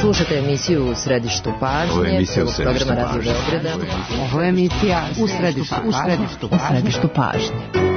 Slušate emisiju U središtu pažnje, prvog programa Radio Beograda. Ovo je emisija U središtu pažnje.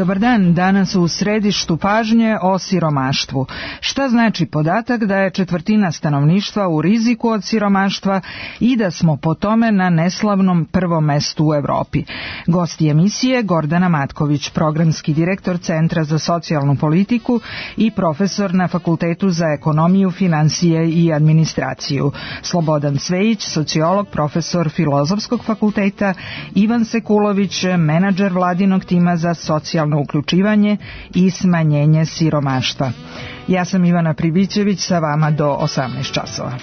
Dobar dan, danas u središtu pažnje o siromaštvu. Šta znači podatak da je četvrtina stanovništva u riziku od siromaštva i da smo po tome na neslavnom prvom mestu u Evropi? Gosti emisije Gordana Matković, programski direktor Centra za socijalnu politiku i profesor na Fakultetu za ekonomiju, finansije i administraciju. Slobodan Cvejić, sociolog, profesor Filozofskog fakulteta, Ivan Sekulović, menadžer vladinog tima za socijalno uključivanje i smanjenje siromaštva. Ja sam Ivana Pribićević, sa vama do 18 časova.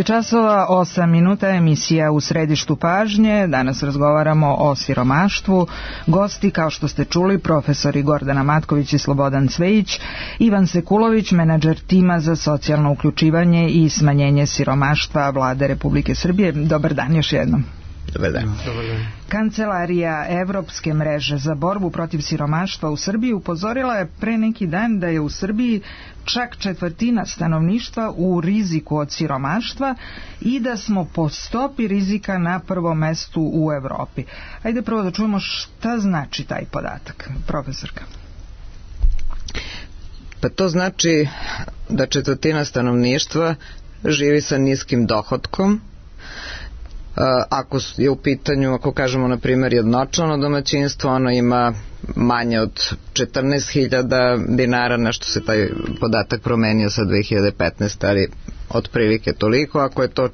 časova, 8 minuta, emisija U središtu pažnje. Danas razgovaramo o siromaštvu. Gosti, kao što ste čuli, profesori Gordana Matković i Slobodan Cvejić, Ivan Sekulović, menadžer tima za socijalno uključivanje i smanjenje siromaštva Vlade Republike Srbije. Dobar dan još jednom. Dobar dan. Kancelarija Evropske mreže za borbu protiv siromaštva u Srbiji upozorila je pre neki dan da je u Srbiji čak četvrtina stanovništva u riziku od siromaštva i da smo po stopi rizika na prvom mestu u Evropi. Ajde prvo da čujemo šta znači taj podatak, profesorka. Pa to znači da četvrtina stanovništva živi sa niskim dohotkom. Ako je u pitanju, ako kažemo na primjer jednočlano domaćinstvo, ono ima manje od 14.000 dinara, nešto se taj podatak promenio sa 2015, ali otprilike toliko. Ako je to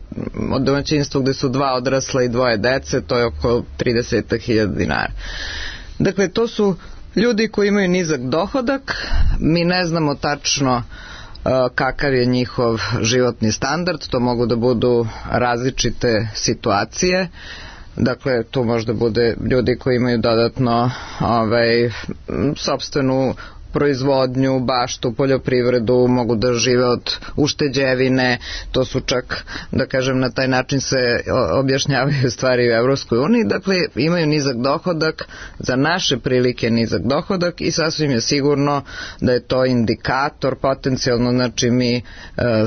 od domaćinstva gde su 2 odrasla i 2 dece, to je oko 30.000 dinara. Dakle, to su ljudi koji imaju nizak dohodak, mi ne znamo tačno kakav je njihov životni standard, to mogu da budu različite situacije. Dakle, tu možda bude ljudi koji imaju dodatno sopstvenu proizvodnju, baštu, poljoprivredu, mogu da žive od ušteđevine, to su čak, da kažem, na taj način se objašnjavaju stvari u Evropskoj uniji, dakle imaju nizak dohodak, za naše prilike nizak dohodak i sasvim je sigurno da je to indikator potencijalno, znači mi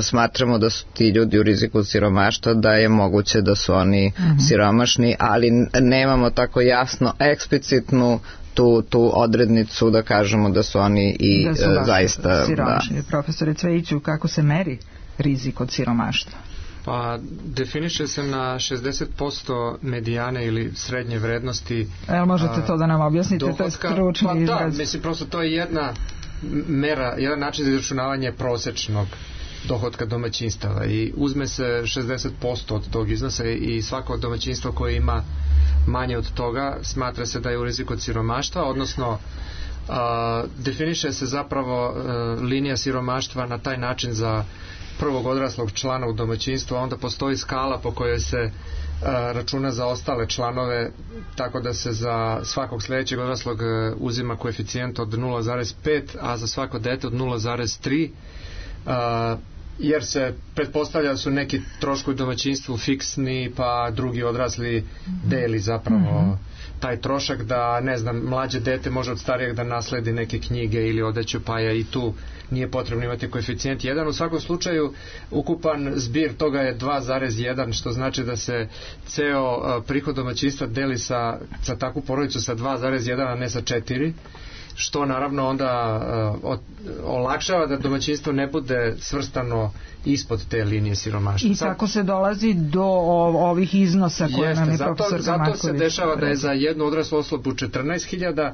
smatramo da su ti ljudi u riziku od siromaštva, da je moguće da su oni siromašni, ali nemamo tako jasno, eksplicitnu tu odrednicu da kažemo da su oni i zaista siromašni. Profesore Cvejiću, kako se meri rizik od siromaštva? Pa definiše se na 60% medijane ili srednje vrednosti. Možete to da nam objasnite? Dohodka, to je stručni izraz. Da, mislim, prosto to je jedna mera, jedan način za izračunavanje prosečnog dohotka domaćinstava i uzme se 60% od tog iznosa i svako domaćinstvo koje ima manje od toga smatra se da je u riziku od siromaštva, odnosno definiše se zapravo linija siromaštva na taj način za prvog odraslog člana u domaćinstvu, a onda postoji skala po kojoj se računa za ostale članove, tako da se za svakog sledećeg odraslog uzima koeficijent od 0,5, a za svako dete od 0,3, jer se pretpostavlja da su neki troškovi domaćinstvu fiksni, pa drugi odrasli deli zapravo taj trošak, da ne znam, mlađe dete može od starijeg da nasledi neke knjige ili odeću, pa je i tu nije potrebno imati koeficijent 1. U svakom slučaju ukupan zbir toga je 2,1, što znači da se ceo prihod domaćinstva deli sa takvu porodicu sa 2,1, a ne sa 4, što naravno onda olakšava da domaćinstvo ne bude svrstano ispod te linije siromaštva. I tako se dolazi do ovih iznosa koje nam je profesor Marković. Zato se dešava da je za jednu odraslu osobu 14.000,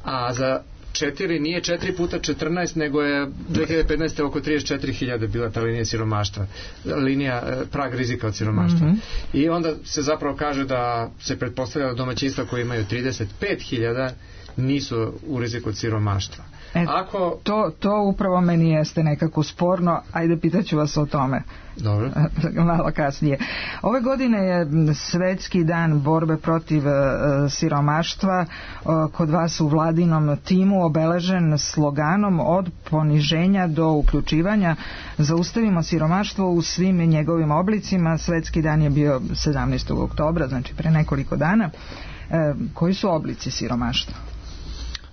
a za 4 nije 4 puta 14, nego je 2015. oko 34.000 bila ta linija siromaštva, prag rizika od siromaštva. I onda se zapravo kaže da se pretpostavlja da domaćinstva koje imaju 35.000 nisu u riziku od siromaštva. To upravo meni jeste nekako sporno, ajde pitaću vas o tome. Dobro. Malo kasnije. Ove godine je Svetski dan borbe protiv siromaštva kod vas u vladinom timu obeležen sloganom od poniženja do uključivanja. Zaustavimo siromaštvo u svim njegovim oblicima. Svetski dan je bio 17. oktobra, znači pre nekoliko dana. Koji su oblici siromaštva?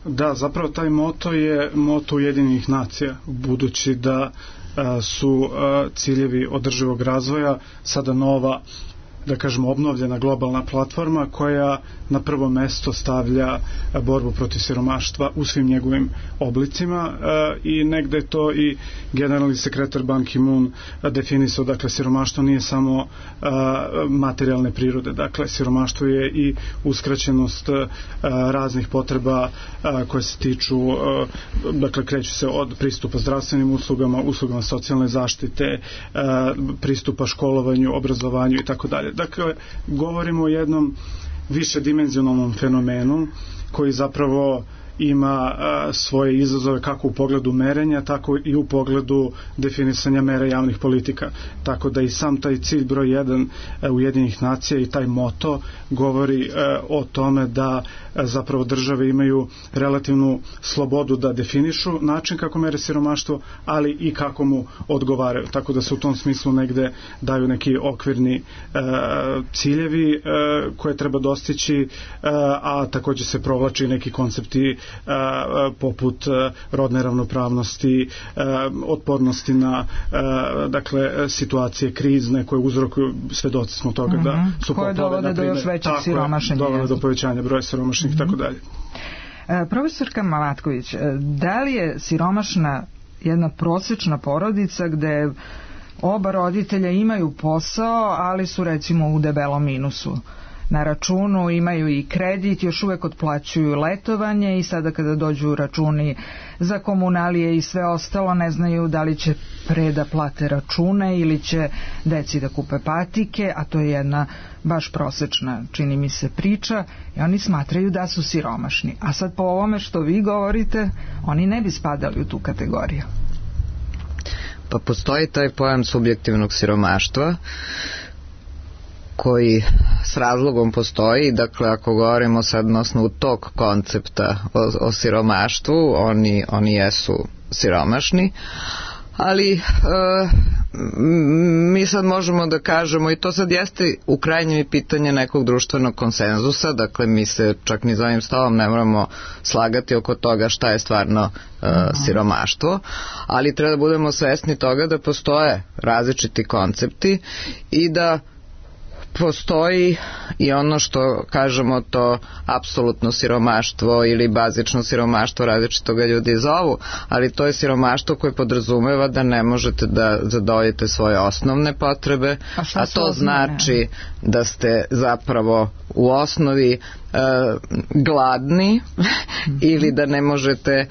Da, zapravo taj moto je moto Ujedinjenih nacija, budući da su ciljevi održivog razvoja sada nova, da kažemo, obnovljena globalna platforma koja na prvo mesto stavlja borbu protiv siromaštva u svim njegovim oblicima i negde to i generalni sekretar Ban Ki-moon definisao, dakle siromaštvo nije samo materijalne prirode, dakle siromaštvo je i uskraćenost raznih potreba koje se tiču, dakle kreću se od pristupa zdravstvenim uslugama socijalne zaštite, pristupa školovanju, obrazovanju i tako dalje. Dakle, govorimo o jednom višedimenzionalnom fenomenu koji zapravo ima svoje izazove kako u pogledu merenja, tako i u pogledu definisanja mera javnih politika. Tako da i sam taj cilj broj 1 Ujedinjenih nacija i taj moto govori o tome da zapravo države imaju relativnu slobodu da definišu način kako mere siromaštvo, ali i kako mu odgovaraju. Tako da se u tom smislu negde daju neki okvirni ciljevi koje treba dostići, a takođe se provlači neki koncepti poput rodne ravnopravnosti, otpornosti na dakle situacije krizne koje uzrokuju, svedoci smo toga da su koje dovode do još većeg siromašenja, dovode do povećanja broja siromašnih i tako dalje. Profesorka Malatković, da li je siromašna jedna prosečna porodica gde oba roditelja imaju posao, ali su recimo u debelom minusu na računu, imaju i kredit, još uvek otplaćuju letovanje i sada kada dođu računi za komunalije i sve ostalo ne znaju da li će pre da plate račune ili će deci da kupe patike, a to je jedna baš prosečna, čini mi se, priča i oni smatraju da su siromašni. A sad po ovome što vi govorite, oni ne bi spadali u tu kategoriju. Pa postoji taj pojam subjektivnog siromaštva koji s razlogom postoji. Dakle, ako govorimo sad na osnovu tog koncepta o siromaštvu, oni jesu siromašni, ali mi sad možemo da kažemo, i to sad jeste u krajnjem i pitanje nekog društvenog konsenzusa, dakle mi se čak ni za ovim stolom ne moramo slagati oko toga šta je stvarno siromaštvo, ali treba da budemo svesni toga da postoje različiti koncepti i da postoji i ono što kažemo to apsolutno siromaštvo ili bazično siromaštvo, različito ga ljudi zovu, ali to je siromaštvo koje podrazumeva da ne možete da zadovoljite svoje osnovne potrebe, a to znači da ste zapravo u osnovi gladni ili da ne možete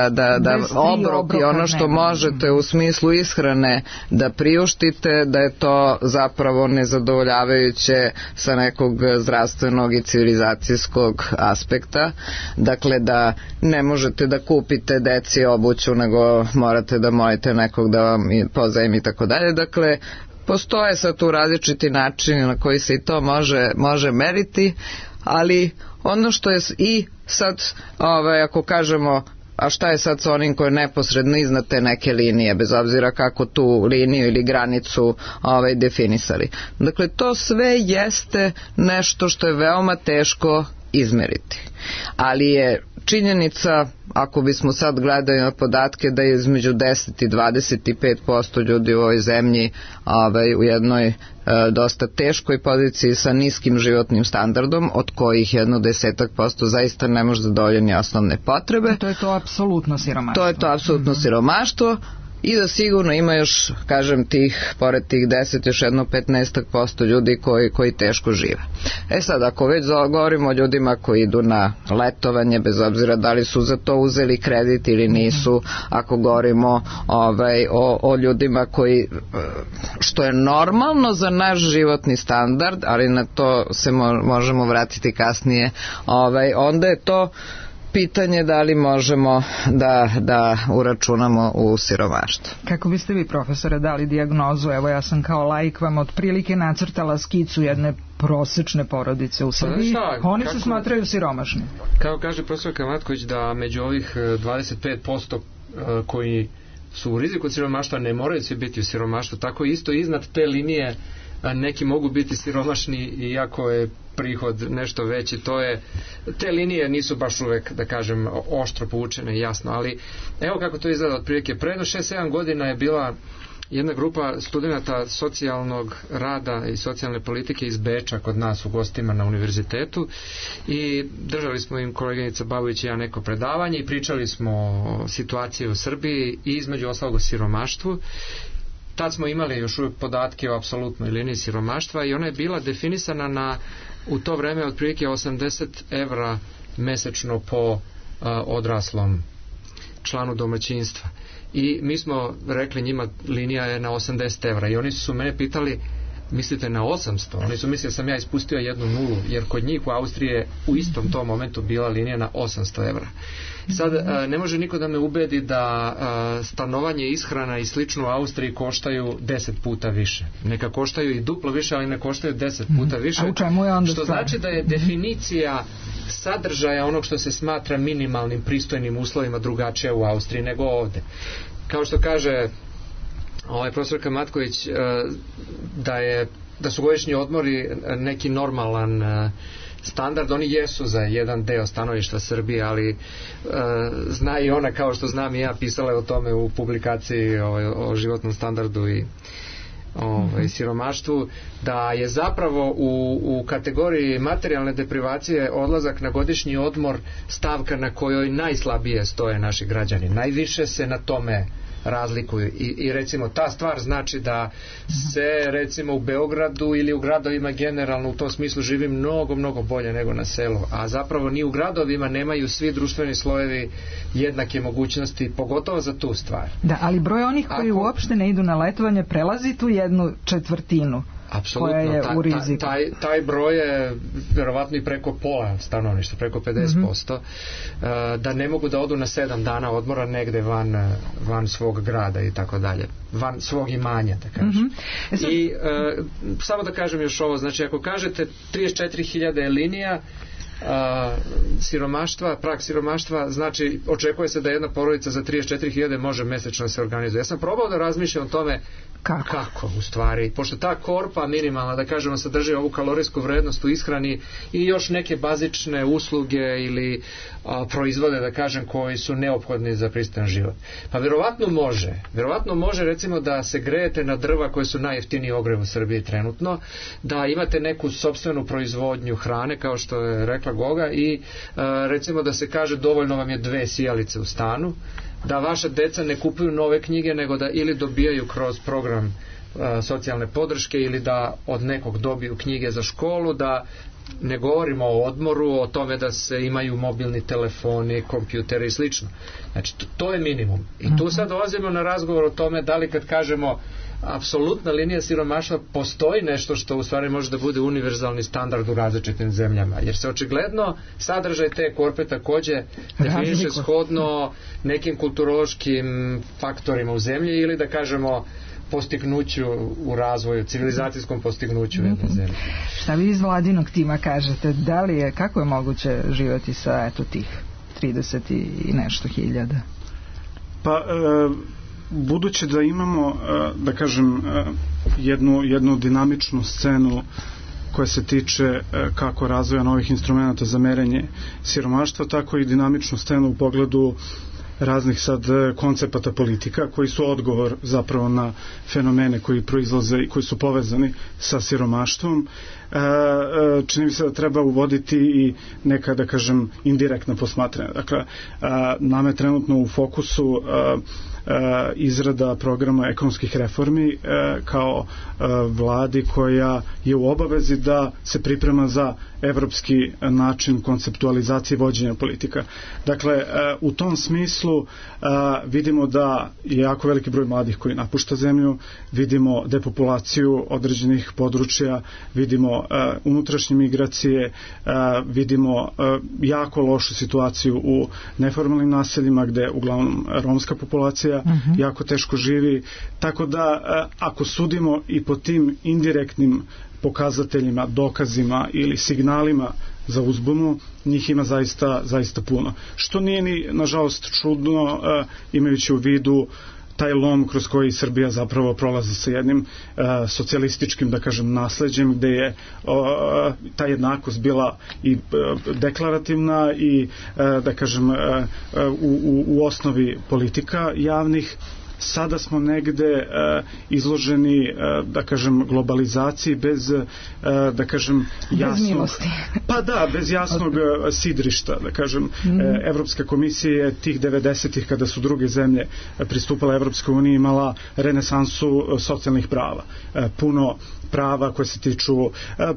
da obrok i ono što možete u smislu ishrane da priuštite, da je to zapravo nezadovoljavajuće sa nekog zdravstvenog i civilizacijskog aspekta. Dakle, da ne možete da kupite deci obuću, nego morate da molite nekog da vam pozajmi i tako dalje. Dakle, postoje sad tu različiti načini na koji se i to može meriti, ali ono što je i sad, ako kažemo, a šta je sad sa onim koji je neposredno iznad te neke linije, bez obzira kako tu liniju ili granicu definisali. Dakle, to sve jeste nešto što je veoma teško izmeriti. Ali je činjenica, ako bismo sad gledali na podatke, da je između 10 i 25% ljudi u ovoj zemlji u jednoj dosta teškoj poziciji sa niskim životnim standardom, od kojih 10% zaista ne može zadovoljiti osnovne potrebe. To je to apsolutno siromaštvo. To je to apsolutno siromaštvo. I da sigurno ima još, kažem, pored tih 10, još 15% ljudi koji teško žive. Sad, ako već govorimo o ljudima koji idu na letovanje, bez obzira da li su za to uzeli kredit ili nisu, ako govorimo o ljudima koji, što je normalno za naš životni standard, ali na to se možemo vratiti kasnije, onda je to pitanje da li možemo da uračunamo u siromaštvo. Kako biste vi, profesore, dali dijagnozu? Evo, ja sam kao laik vam otprilike nacrtala skicu jedne prosečne porodice u Srbiji. Oni se smatraju siromašni. Kao kaže profesor Matković, da među ovih 25% koji su u riziku od siromaštva ne moraju svi biti u siromaštvu, tako isto iznad te linije neki mogu biti siromašni iako je prihod nešto veći. Te linije nisu baš uvek, da kažem, oštro povučene, jasno, ali evo kako to izgleda otprilike. Predno 6-7 godina je bila jedna grupa studenata socijalnog rada i socijalne politike iz Beča kod nas u gostima na univerzitetu i držali smo im, koleginica Babović i ja, neko predavanje i pričali smo o situaciji u Srbiji i između ostalog o siromaštvu. Tad smo imali još uvijek podatke o apsolutnoj liniji siromaštva i ona je bila definisana u to vreme otprilike 80 evra mesečno po odraslom članu domaćinstva. I mi smo rekli njima linija je na 80 evra i oni su mene pitali, mislite na 800? Oni su mislili da sam ja ispustio jednu nulu, jer kod njih u Austriji je u istom tom momentu bila linija na 800 evra. Sad, ne može niko da me ubedi da stanovanje, ishrana i slično u Austriji koštaju 10 puta više. Neka koštaju i duplo više, ali ne koštaju 10 puta više. A u čemu je onda što znači da je definicija sadržaja onog što se smatra minimalnim pristojnim uslovima drugačija u Austriji nego ovde. Kao što kaže profesor Matković, da su godišnji odmori neki normalan standard, oni jesu za jedan deo stanovišta Srbije, ali zna i ona, kao što znam i ja, pisala je o tome u publikaciji o životnom standardu i siromaštvu, da je zapravo u kategoriji materijalne deprivacije odlazak na godišnji odmor stavka na kojoj najslabije stoje naši građani. Najviše se na tome razlikuju i recimo ta stvar znači da se recimo u Beogradu ili u gradovima generalno u tom smislu živi mnogo bolje nego na selu, a zapravo ni u gradovima nemaju svi društveni slojevi jednake mogućnosti, pogotovo za tu stvar. Da, ali broj onih koji uopšte ne idu na letovanje prelazi tu 1/4 koja je u riziku. Taj broj je verovatno i preko pola stanovništva, preko 50%, da ne mogu da odu na 7 dana odmora negde van svog grada i tako dalje, van svog imanja, da kažem. I samo da kažem još ovo, znači ako kažete 34.000 je linija siromaštva, prag siromaštva, znači očekuje se da jedna porodica za 34.000 može mesečno da se organizuje. Ja sam probao da razmišljam o tome kako u stvari, pošto ta korpa minimalna, da kažemo, sadrži ovu kalorijsku vrednost u ishrani i još neke bazične usluge ili proizvode, da kažem, koji su neophodni za pristojan život. Pa verovatno može recimo da se grejete na drva koje su najjeftiniji ogrev u Srbiji trenutno, da imate neku sopstvenu proizvodnju hrane, kao što je rekla Goga, i recimo da se kaže dovoljno vam je 2 sijalice u stanu, da vaša deca ne kupuju nove knjige, nego da ili dobijaju kroz program socijalne podrške ili da od nekog dobiju knjige za školu, da ne govorimo o odmoru, o tome da se imaju mobilni telefoni, kompjuteri i slično. Znači, to je minimum. I tu sad dolazimo na razgovor o tome da li kad kažemo apsolutna linija siromaštva postoji nešto što u stvari može da bude univerzalni standard u različitim zemljama. Jer se očigledno sadržaj te korpe takođe definiše shodno nekim kulturološkim faktorima u zemlji ili da kažemo postignuću u razvoju, civilizacijskom postignuću jedne zemlje. Šta vi iz vladinog tima kažete? Da li je, kako je moguće živjeti sa tih 30 i nešto hiljada? Pa, budući da imamo, da kažem, jednu dinamičnu scenu koja se tiče kako razvoja novih instrumenta za merenje siromaštva, tako i dinamičnu scenu u pogledu raznih sad koncepata politika koji su odgovor zapravo na fenomene koji proizlaze i koji su povezani sa siromaštvom. Čini mi se da treba uvoditi i neka, da kažem, indirektna posmatranja. Dakle, nam je trenutno u fokusu izrada programa ekonomskih reformi kao vladi koja je u obavezi da se priprema za evropski način konceptualizacije vođenja politika. Dakle, u tom smislu vidimo da je jako veliki broj mladih koji napušta zemlju, vidimo depopulaciju određenih područja, vidimo unutrašnje migracije, vidimo jako lošu situaciju u neformalnim naseljima gde uglavnom romska populacija jako teško živi, tako da ako sudimo i po tim indirektnim pokazateljima, dokazima ili signalima za uzbunu, njih ima zaista puno. Što nije ni, nažalost, čudno imajući u vidu taj lom kroz koji Srbija zapravo prolazi sa jednim socijalističkim, da kažem, nasleđem, gde je ta jednakost bila i deklarativna i, da kažem, u osnovi politika javnih. Sada smo negde izloženi, da kažem, globalizaciji bez, da kažem, jasnog... Bez milosti. Pa da, bez jasnog sidrišta, da kažem. Evropska komisija je tih 90-ih, kada su druge zemlje pristupale Evropskoj uniji, imala renesansu socijalnih prava. Puno prava koje se tiču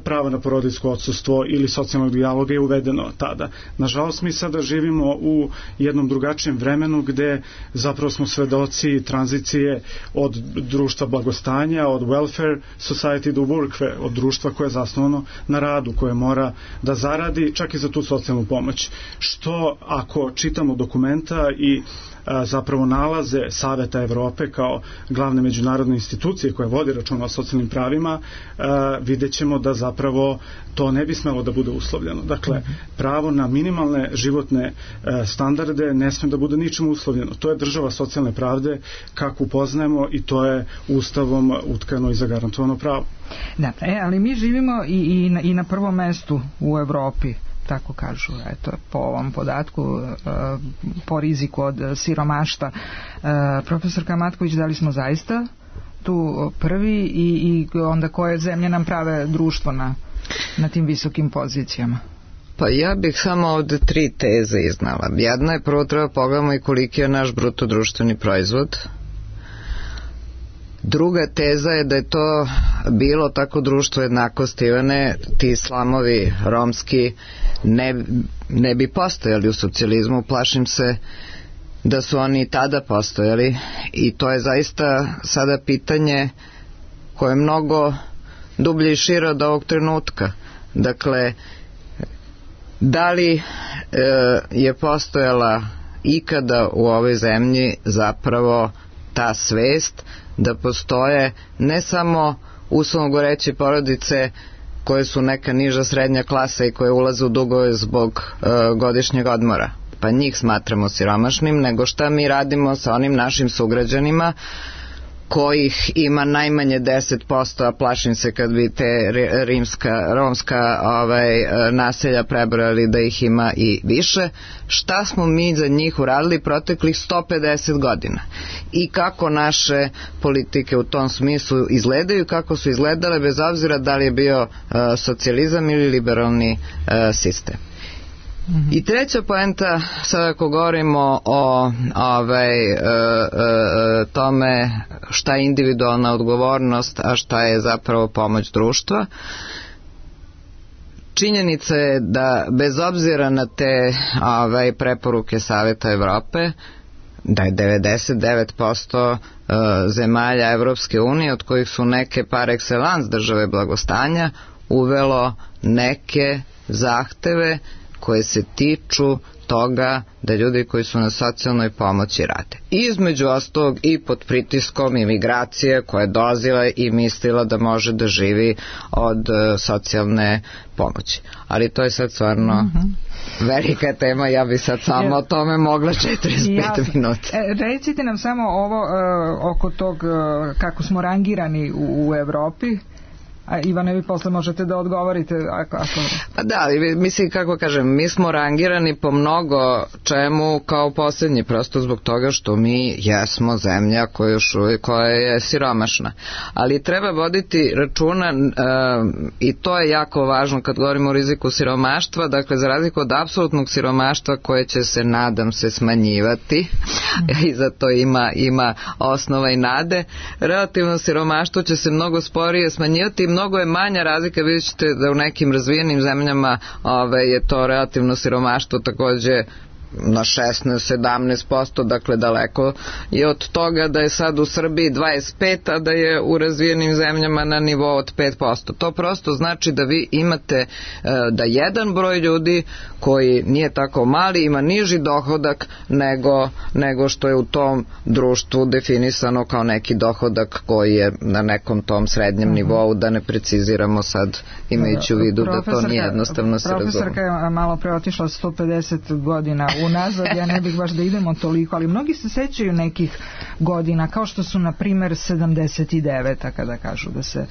prava na porodiljsko odsustvo ili socijalnog dijaloga je uvedeno tada. Nažalost, mi sada živimo u jednom drugačijem vremenu gde zapravo smo svedoci tranzicije od društva blagostanja, od welfare society do workfare, od društva koje je zasnovano na radu, koje mora da zaradi čak i za tu socijalnu pomoć. Što ako čitamo dokumenta i zapravo nalaze Saveta Evrope kao glavne međunarodne institucije koje vodi računa o socijalnim pravima, vidjet ćemo da zapravo to ne bi smelo da bude uslovljeno. Dakle, pravo na minimalne životne standarde ne sme da bude ničim uslovljeno. To je država socijalne pravde kako upoznajemo i to je Ustavom utkano i zagarantovano pravo. Da, ali mi živimo i na prvom mestu u Evropi, tako kažu, eto, po ovom podatku, po riziku od siromaštva. Profesorka Matković, da li smo zaista tu prvi i onda koje zemlje nam prave društvo na tim visokim pozicijama? Pa ja bih samo ovde 3 teze iznala. Jedna je, prvo treba pogledamo i koliki je naš bruto društveni proizvod. Druga teza je da je to bilo tako društvo jednakosti, Ivane, ti slamovi romski ne bi postojali u socijalizmu, plašim se da su oni i tada postojali i to je zaista sada pitanje koje je mnogo dublje i šire od ovog trenutka. Dakle, da li je postojala ikada u ovoj zemlji zapravo ta svest da postoje ne samo uslovno govoreći porodice koje su neka niža srednja klasa i koje ulaze u dugove zbog godišnjeg odmora, pa njih smatramo siromašnim, nego šta mi radimo sa onim našim sugrađanima kojih ima najmanje 10%, a plašim se kad bi te romska naselja prebrojali da ih ima i više. Šta smo mi za njih uradili proteklih 150 godina i kako naše politike u tom smislu izgledaju, kako su izgledale bez obzira da li je bio socijalizam ili liberalni sistem. I treća poenta, sad ako govorimo o tome šta je individualna odgovornost, a šta je zapravo pomoć društva, činjenica je da bez obzira na te preporuke Saveta Evrope, da je 99% zemalja Evropske unije, od kojih su neke par excellence države blagostanja, uvelo neke zahteve koje se tiču toga da ljudi koji su na socijalnoj pomoći rade. Između ostalog i pod pritiskom imigracije koja je dolazila i mislila da može da živi od socijalne pomoći. Ali to je sad stvarno velika tema, ja bi sad samo o tome mogla 45 minuta. Recite nam samo ovo oko tog kako smo rangirani u Evropi. A Ivane, vi posle možete da odgovorite ako... Pa da, mislim, kako kažem, mi smo rangirani po mnogo čemu kao posljednji, prosto zbog toga što mi jesmo zemlja koja je siromašna. Ali treba voditi računa i to je jako važno kad govorimo o riziku siromaštva, dakle za razliku od apsolutnog siromaštva koje će se, nadam se, smanjivati i za to ima osnova i nade, relativno siromaštvo će se mnogo sporije smanjivati i mnogo je manja razlika, vidjet ćete da u nekim razvijenim zemljama je to relativno siromaštvo takođe na 16-17%, dakle daleko je od toga da je sad u Srbiji 25%, a da je u razvijenim zemljama na nivou od 5%. To prosto znači da vi imate da jedan broj ljudi koji nije tako mali ima niži dohodak nego što je u tom društvu definisano kao neki dohodak koji je na nekom tom srednjem nivou, da ne preciziramo sad imajući u vidu da to nije jednostavno se razumije. Profesorka je malo pre otišla 150 godina unazad, ja ne bih baš da idemo toliko, ali mnogi se sećaju nekih godina, kao što su na primer 79. kada kažu da se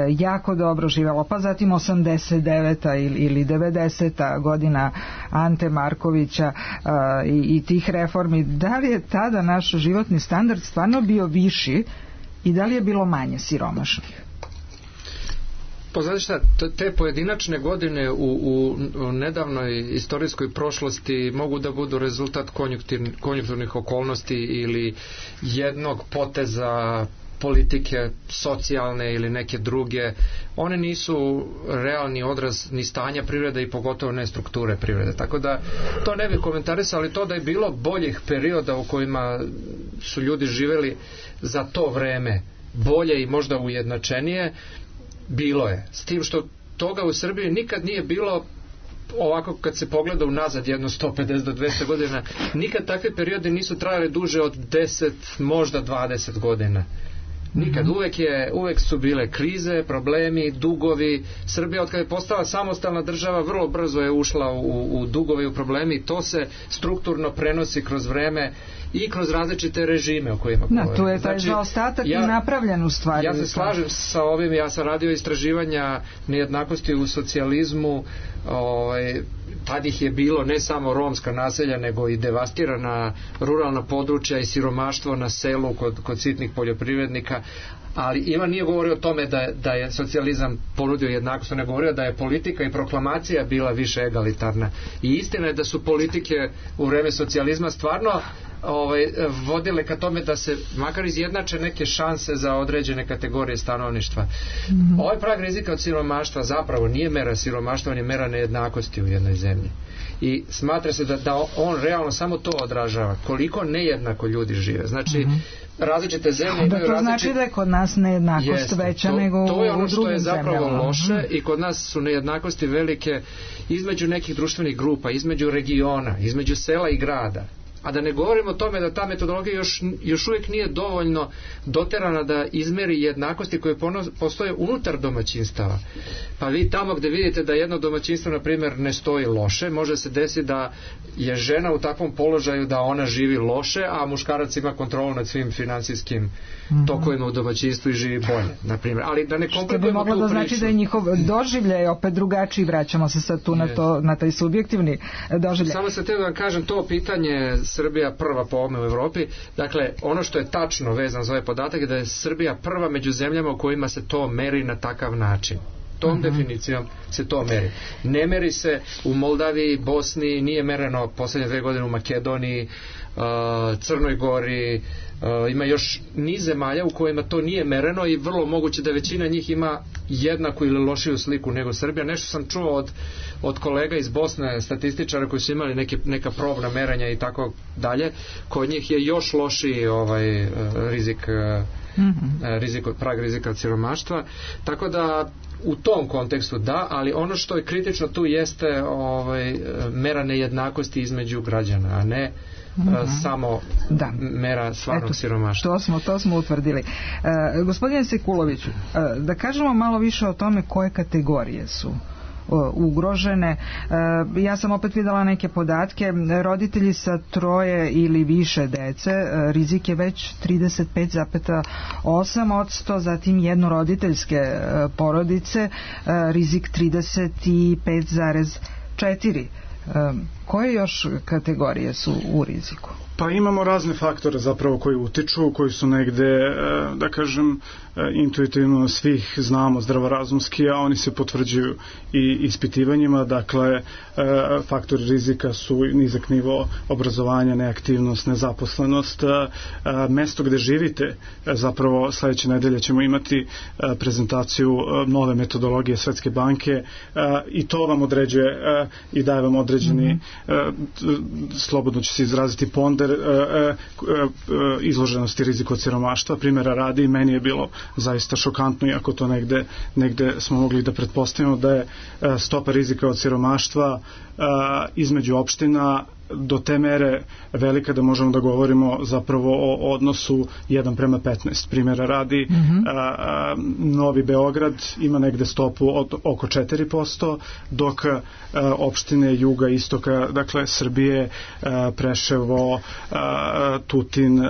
jako dobro živelo, pa zatim 89. ili 90. godina Ante Markovića i tih reformi. Da li je tada naš životni standard stvarno bio viši i da li je bilo manje siromašnih? Pa znate šta, te pojedinačne godine u nedavnoj istorijskoj prošlosti mogu da budu rezultat konjunkturnih okolnosti ili jednog poteza politike socijalne ili neke druge. One nisu realni odraz ni stanja privrede i pogotovo ne strukture privrede. Tako da to ne bih komentarisao, ali to da je bilo boljih perioda u kojima su ljudi živeli za to vreme bolje i možda ujednačenije, bilo je. S tim što toga u Srbiji nikad nije bilo ovako kad se pogleda unazad jedno 150 do 200 godina, nikad takve periode nisu trajale duže od 10, možda 20 godina. Nikad, uvek su bile krize, problemi, dugovi. Srbija od kada je postala samostalna država vrlo brzo je ušla u dugove i u problemi i to se strukturno prenosi kroz vreme i kroz različite režime o kojima govorimo. Tu je taj zaostatak i napravljen u stvari. Ja se slažem sa ovim, ja sam radio istraživanja nejednakosti u socijalizmu, tad ih je bilo ne samo romska naselja, nego i devastirana ruralna područja i siromaštvo na selu kod sitnih poljoprivrednika, ali Ivan nije govorio o tome da je socijalizam ponudio jednakost, on je govorio da je politika i proklamacija bila više egalitarna. I istina je da su politike u vreme socijalizma stvarno vodile ka tome da se makar izjednače neke šanse za određene kategorije stanovništva. Ovaj prag rizika od siromaštva zapravo nije mera siromaštva, on je mera nejednakosti u jednoj zemlji. I smatra se da on realno samo to odražava, koliko nejednako ljudi žive. Znači, različite zemlje imaju različite... To znači da je kod nas nejednakost veća nego u drugim zemljama. To je ono što je zapravo loše i kod nas su nejednakosti velike između nekih društvenih grupa, između regiona, između sela i grada. A da ne govorimo o tome da ta metodologija još uvijek nije dovoljno doterana da izmeri jednakosti koje postoje unutar domaćinstava. Pa vi tamo gde vidite da jedno domaćinstvo, na primjer, ne stoji loše, može se desiti da je žena u takvom položaju da ona živi loše, a muškarac ima kontrolu nad svim finansijskim tokovima u domaćinstvu i živi bolje, na primjer. Ali da ne komplikujemo tu priču. Što bi moglo da znači da je njihov doživljaj opet drugačiji, vraćamo se sad tu na taj subjektivni doživljaj. Samo se te da kažem, to pitanje Srbija prva po ovome u Evropi, dakle, ono što je tačno vezano za ovaj podatak je da je Srbija prva među zemljama u kojima se to meri na takav način. Tom definicijom se to meri. Ne meri se u Moldaviji, Bosni, nije mereno poslednje 2 godine u Makedoniji, Crnoj Gori, ima još niz zemalja u kojima to nije mereno i vrlo moguće da većina njih ima jednaku ili lošiju sliku nego Srbija. Nešto sam čuo od kolega iz Bosne, statističara koji su imali neka probna merenja i tako dalje. Kod njih je još lošiji prag rizika od siromaštva. Tako da u tom kontekstu da, ali ono što je kritično tu jeste mera nejednakosti između građana, a ne samo mera stvarnog siromaštva. To smo utvrdili. Gospodine Sekuloviću, da kažemo malo više o tome koje kategorije su ugrožene. Ja sam opet videla neke podatke. Roditelji sa 3 ili više dece, rizik je već 35,8%, zatim jednoroditeljske porodice, rizik 35,4%. Koje još kategorije su u riziku? Pa imamo razne faktore zapravo koji utiču, koji su negde, da kažem, intuitivno svih znamo zdravorazumski, a oni se potvrđuju i ispitivanjima. Dakle, faktori rizika su nizak nivo obrazovanja, neaktivnost, nezaposlenost, mesto gde živite. Zapravo sledeće nedelje ćemo imati prezentaciju nove metodologije Svetske banke i to vam određuje i daje vam određeni, slobodno će se izraziti, ponder izloženosti riziku od siromaštva. Primjera radi, meni je bilo zaista šokantno, iako to negde smo mogli da pretpostavimo da je stopa rizika od siromaštva između opština do te mere velika da možemo da govorimo zapravo o odnosu 1:15. Primjera radi, Novi Beograd ima negde stopu od oko 4%, dok opštine juga, istoka, dakle Srbije, Preševo, Tutin,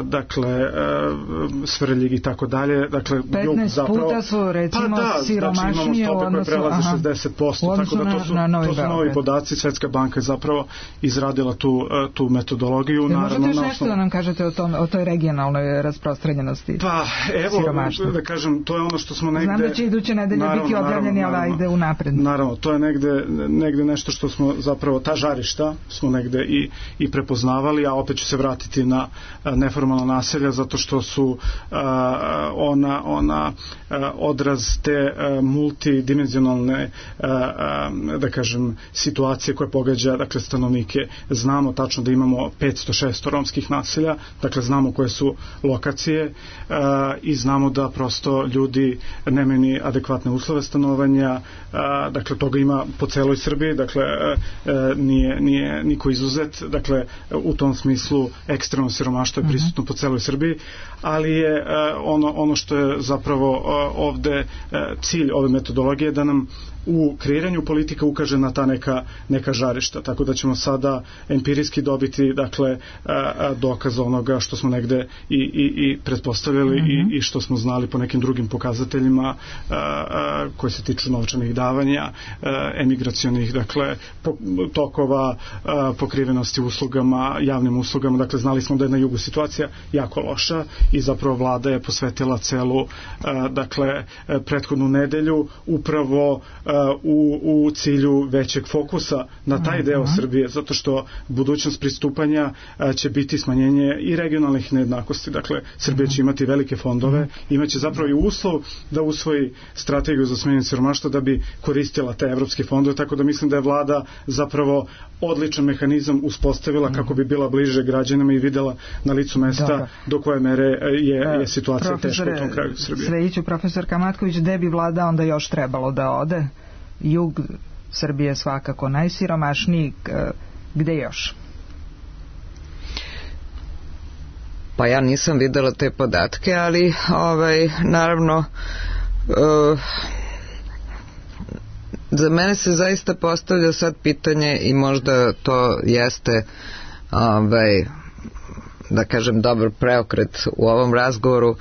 dakle Svrljig i tako dalje, dakle 15 puta su recimo siromašnije u odnosu, znači imamo stope koje prelaze 60%, tako da to su novi podaci. Svetska banka je zapravo izradila tu metodologiju. Možete još nešto da nam kažete o toj regionalnoj rasprostranjenosti? Pa evo, da kažem, to je ono što smo negde... Znam da će iduće nedelje biti objavljeni, ali ide unapred. Naravno, to je negde nešto što smo zapravo, ta žarišta smo negde i prepoznavali, a opet ću se vratiti na neformalna naselja, zato što su ona odraz te multidimenzionalne, da kažem, situacije koje pogađa, dakle, stanovnike. Znamo tačno da imamo 506 romskih naselja, dakle znamo koje su lokacije i znamo da prosto ljudi nemaju ni adekvatne uslove stanovanja, dakle toga ima po celoj Srbiji, dakle nije niko izuzet, dakle u tom smislu ekstremno siromaštvo je prisutno po celoj Srbiji, ali je ono što je zapravo ovde cilj ove metodologije da nam u kreiranju politika ukaže na ta neka žarišta, tako da ćemo sada empirijski dobiti, dakle, dokaz onoga što smo negde i pretpostavljali i što smo znali po nekim drugim pokazateljima koji se tiču novčanih davanja, emigracionih, dakle, tokova, pokrivenosti uslugama, javnim uslugama. Dakle, znali smo da je na jugu situacija jako loša i zapravo vlada je posvetila celu, dakle, prethodnu nedelju upravo u cilju većeg fokusa na taj deo Srbije, zato što budućnost pristupanja će biti smanjenje i regionalnih nejednakosti. Dakle, Srbija će imati velike fondove, imaće zapravo i uslov da usvoji strategiju za smanjenje siromaštva da bi koristila te evropske fondove, tako da mislim da je vlada zapravo odličan mehanizam uspostavila kako bi bila bliže građanima i videla na licu mesta do koje mere je situacija teška u tom kraju Srbije. Svejiću, profesor Kamatković, gde bi vlada onda još trebalo da ode? Jug Srbije svakako najsiromašniji, gde još? Pa ja nisam videla te podatke, ali naravno za mene se zaista postavlja sad pitanje i možda to jeste da kažem dobar preokret u ovom razgovoru,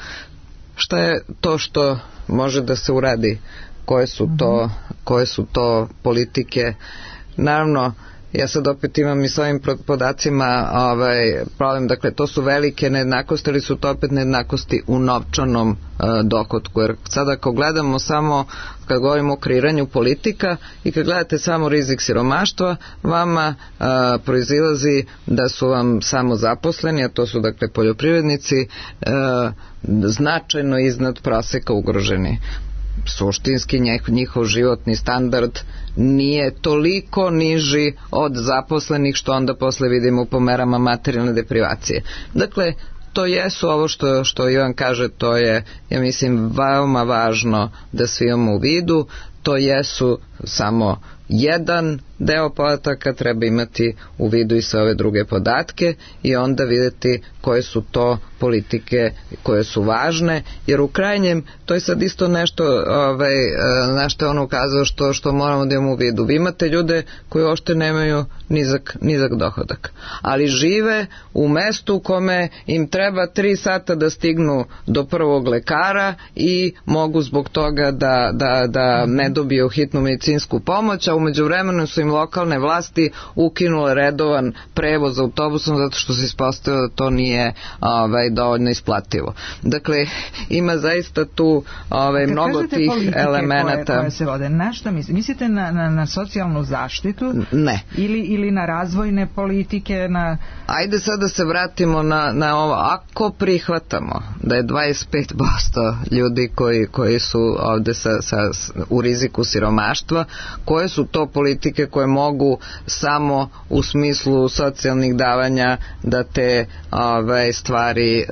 šta je to što može da se uradi, koje su to politike. Naravno, ja sad opet imam i s ovim podacima problem, dakle to su velike nejednakosti, ali su to opet nejednakosti u novčanom dohotku, jer sada ako gledamo samo, kad govorimo o kreiranju politika i kad gledate samo rizik siromaštva, vama proizilazi da su vam samo zaposleni, a to su dakle poljoprivrednici, značajno iznad proseka ugroženi. Suštinski njihov životni standard nije toliko niži od zaposlenih, što onda posle vidimo po merama materijalne deprivacije. Dakle, to jesu ovo što Ivan kaže, to je, ja mislim, veoma važno da svi imamo u vidu, to jesu samo jedan deo podataka, treba imati u vidu i sve ove druge podatke i onda vidjeti koje su to politike koje su važne, jer u krajnjem to je sad isto nešto na što je on ukazao što moramo da imamo u vidu. Vi imate ljude koji uopšte nemaju nizak dohodak, ali žive u mestu u kome im treba 3 sata da stignu do prvog lekara i mogu zbog toga da ne dobiju hitnu medicinsku pomoć, a umeđu vremenu su im lokalne vlasti ukinule redovan prevoz autobusom zato što se ispostavilo da to nije dovoljno isplativo. Dakle, ima zaista tu mnogo tih elemenata. Koje se vode, na šta mislite na socijalnu zaštitu? Ne. Ili na razvojne politike? Ajde sad da se vratimo na ovo. Ako prihvatamo da je 25% ljudi koji su ovde u riziku siromaštva, koje su to politike koje mogu samo u smislu socijalnih davanja da te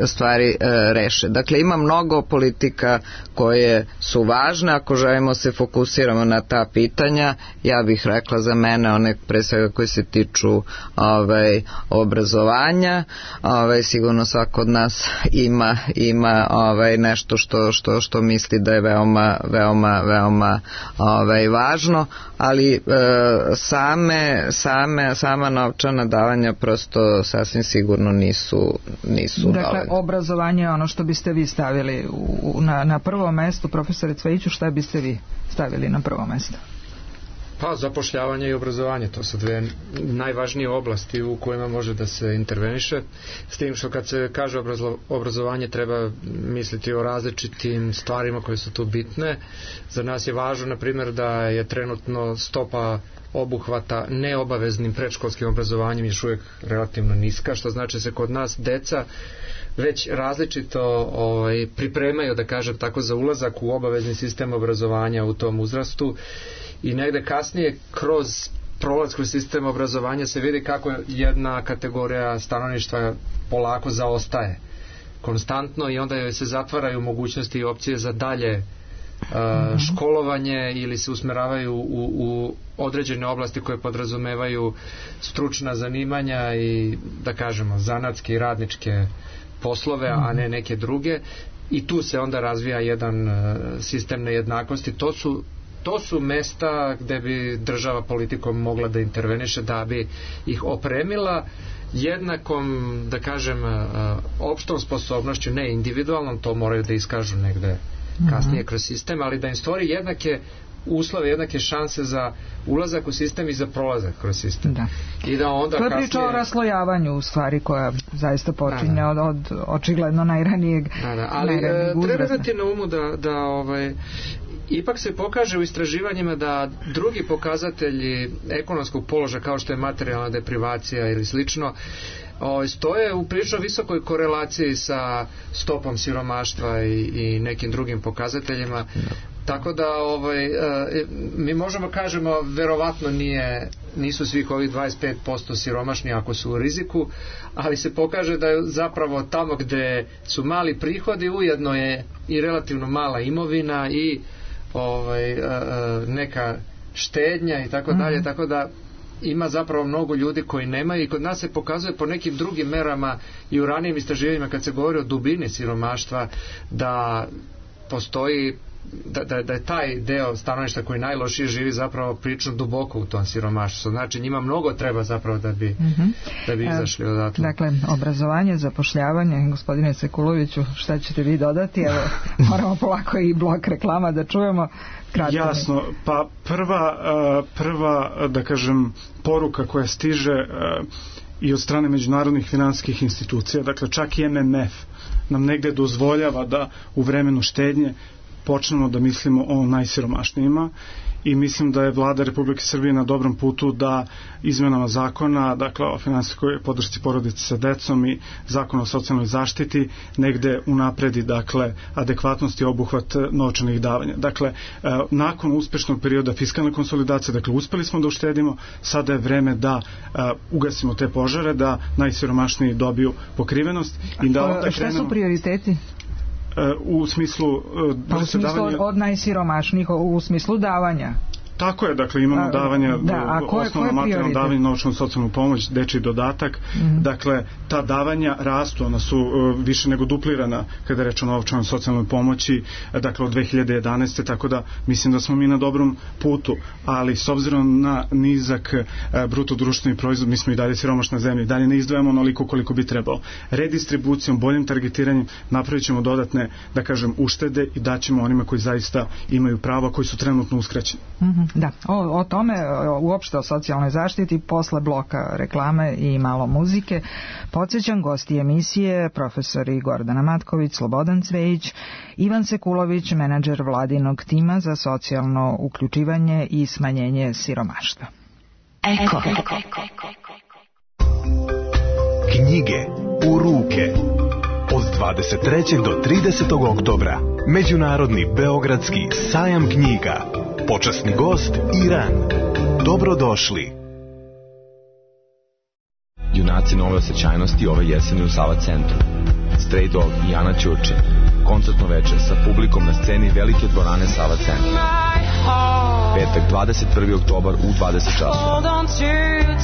stvari reše. Dakle, ima mnogo politika koje su važne. Ako želimo se fokusiramo na ta pitanja, ja bih rekla za mene one pre svega koji se tiču obrazovanja. Sigurno svako od nas ima nešto što misli da je veoma važno, ali sama novčana davanja prosto sasvim sigurno nisu dakle, dovoljne. Obrazovanje je ono što biste vi stavili na prvo mesto. Profesore Cvejiću, šta biste vi stavili na prvo mesto? Pa, zapošljavanje i obrazovanje, to su dve najvažnije oblasti u kojima može da se interveniše, s tim što kad se kaže obrazovanje treba misliti o različitim stvarima koje su tu bitne. Za nas je važno, na primjer, da je trenutno stopa obuhvata neobaveznim predškolskim obrazovanjem još uvijek relativno niska, što znači se kod nas deca već različito pripremaju, da kažem tako, za ulazak u obavezni sistem obrazovanja u tom uzrastu. I negde kasnije kroz prolaz kroz sistem obrazovanja se vidi kako jedna kategorija stanovništva polako zaostaje konstantno i onda joj se zatvaraju mogućnosti i opcije za dalje školovanje ili se usmeravaju u određene oblasti koje podrazumevaju stručna zanimanja i, da kažemo, zanatske i radničke poslove, a ne neke druge, i tu se onda razvija jedan sistem nejednakosti. To su mesta gde bi država politikom mogla da interveniše, da bi ih opremila jednakom, da kažem, opštom sposobnošću, ne individualnom, to moraju da iskažu negde kasnije kroz sistem, ali da im stvori jednake uslove, jednake šanse za ulazak u sistem i za prolazak kroz sistem. Da. I da onda to je priča o raslojavanju, u stvari, koja zaista počinje od očigledno najranijeg ali treba imati na umu da ipak se pokaže u istraživanjima da drugi pokazatelji ekonomskog položaja, kao što je materijalna deprivacija ili slično, stoje u prilično visokoj korelaciji sa stopom siromaštva i nekim drugim pokazateljima. Tako da mi možemo kažemo verovatno nisu svih ovih 25% siromašni ako su u riziku, ali se pokaže da je zapravo tamo gde su mali prihodi ujedno je i relativno mala imovina i neka štednja i tako dalje, tako da ima zapravo mnogo ljudi koji nemaju, i kod nas se pokazuje po nekim drugim merama i u ranijim istraživanjima kad se govori o dubini siromaštva da postoji da je taj deo stanovništva koji najlošije živi zapravo prilično duboko u tom siromaštvu. Znači njima mnogo treba zapravo da bi izašli odatle. Dakle, obrazovanje, zapošljavanje, gospodine Sekuloviću, šta ćete vi dodati? Evo, moramo polako i blok reklama da čujemo. Kratko. Jasno, pa prva da kažem poruka koja stiže i od strane međunarodnih finansijskih institucija, dakle čak i MMF nam negde dozvoljava da u vremenu štednje počnemo da mislimo o najsiromašnijima i mislim da je vlada Republike Srbije na dobrom putu da izmenama zakona, dakle o finansijskoj podršci porodici sa decom i zakona o socijalnoj zaštiti negde unapredi, dakle, adekvatnost i obuhvat novčanih davanja. Dakle, nakon uspešnog perioda fiskalne konsolidacije, dakle, uspeli smo da uštedimo, sada je vreme da ugasimo te požare, da najsiromašniji dobiju pokrivenost i da onda krenemo... Šta su prioriteti? U smislu od najsiromašnijih, u smislu davanja. Tako je, dakle imamo davanja, osnovno materijalno davanje, novčanu socijalnu pomoć, dečiji dodatak, dakle ta davanja rastu, ona su više nego duplirana kada je reč o novčanoj socijalnoj pomoći, dakle od 2011. tako da mislim da smo mi na dobrom putu, ali s obzirom na nizak bruto društveni proizvod, mi smo i dalje siromašna zemlja, i dalje ne izdvajamo onoliko koliko bi trebalo. Redistribucijom, boljim targetiranjem napravit ćemo dodatne, da kažem, uštede i daćemo onima koji zaista imaju prava, koji su trenutno uskraćeni. Da, o tome, uopšte o socijalnoj zaštiti, posle bloka reklame i malo muzike. Podsjećam, gosti emisije profesori Gordana Matković, Slobodan Cvejić, Ivan Sekulović, menadžer vladinog tima za socijalno uključivanje i smanjenje siromaštva. Eko. Knjige u ruke. Od 23. do 30. oktobra Međunarodni beogradski sajam knjiga. Počasni gost Iran. Dobrodošli. Junaci nove osjećajnosti ove jeseni u Sava centru. Stray Dog i Ana Ćurčin. Koncertno večer sa publikom na sceni velike dvorane Sava centra. Petak 21. oktobar u 20 časova.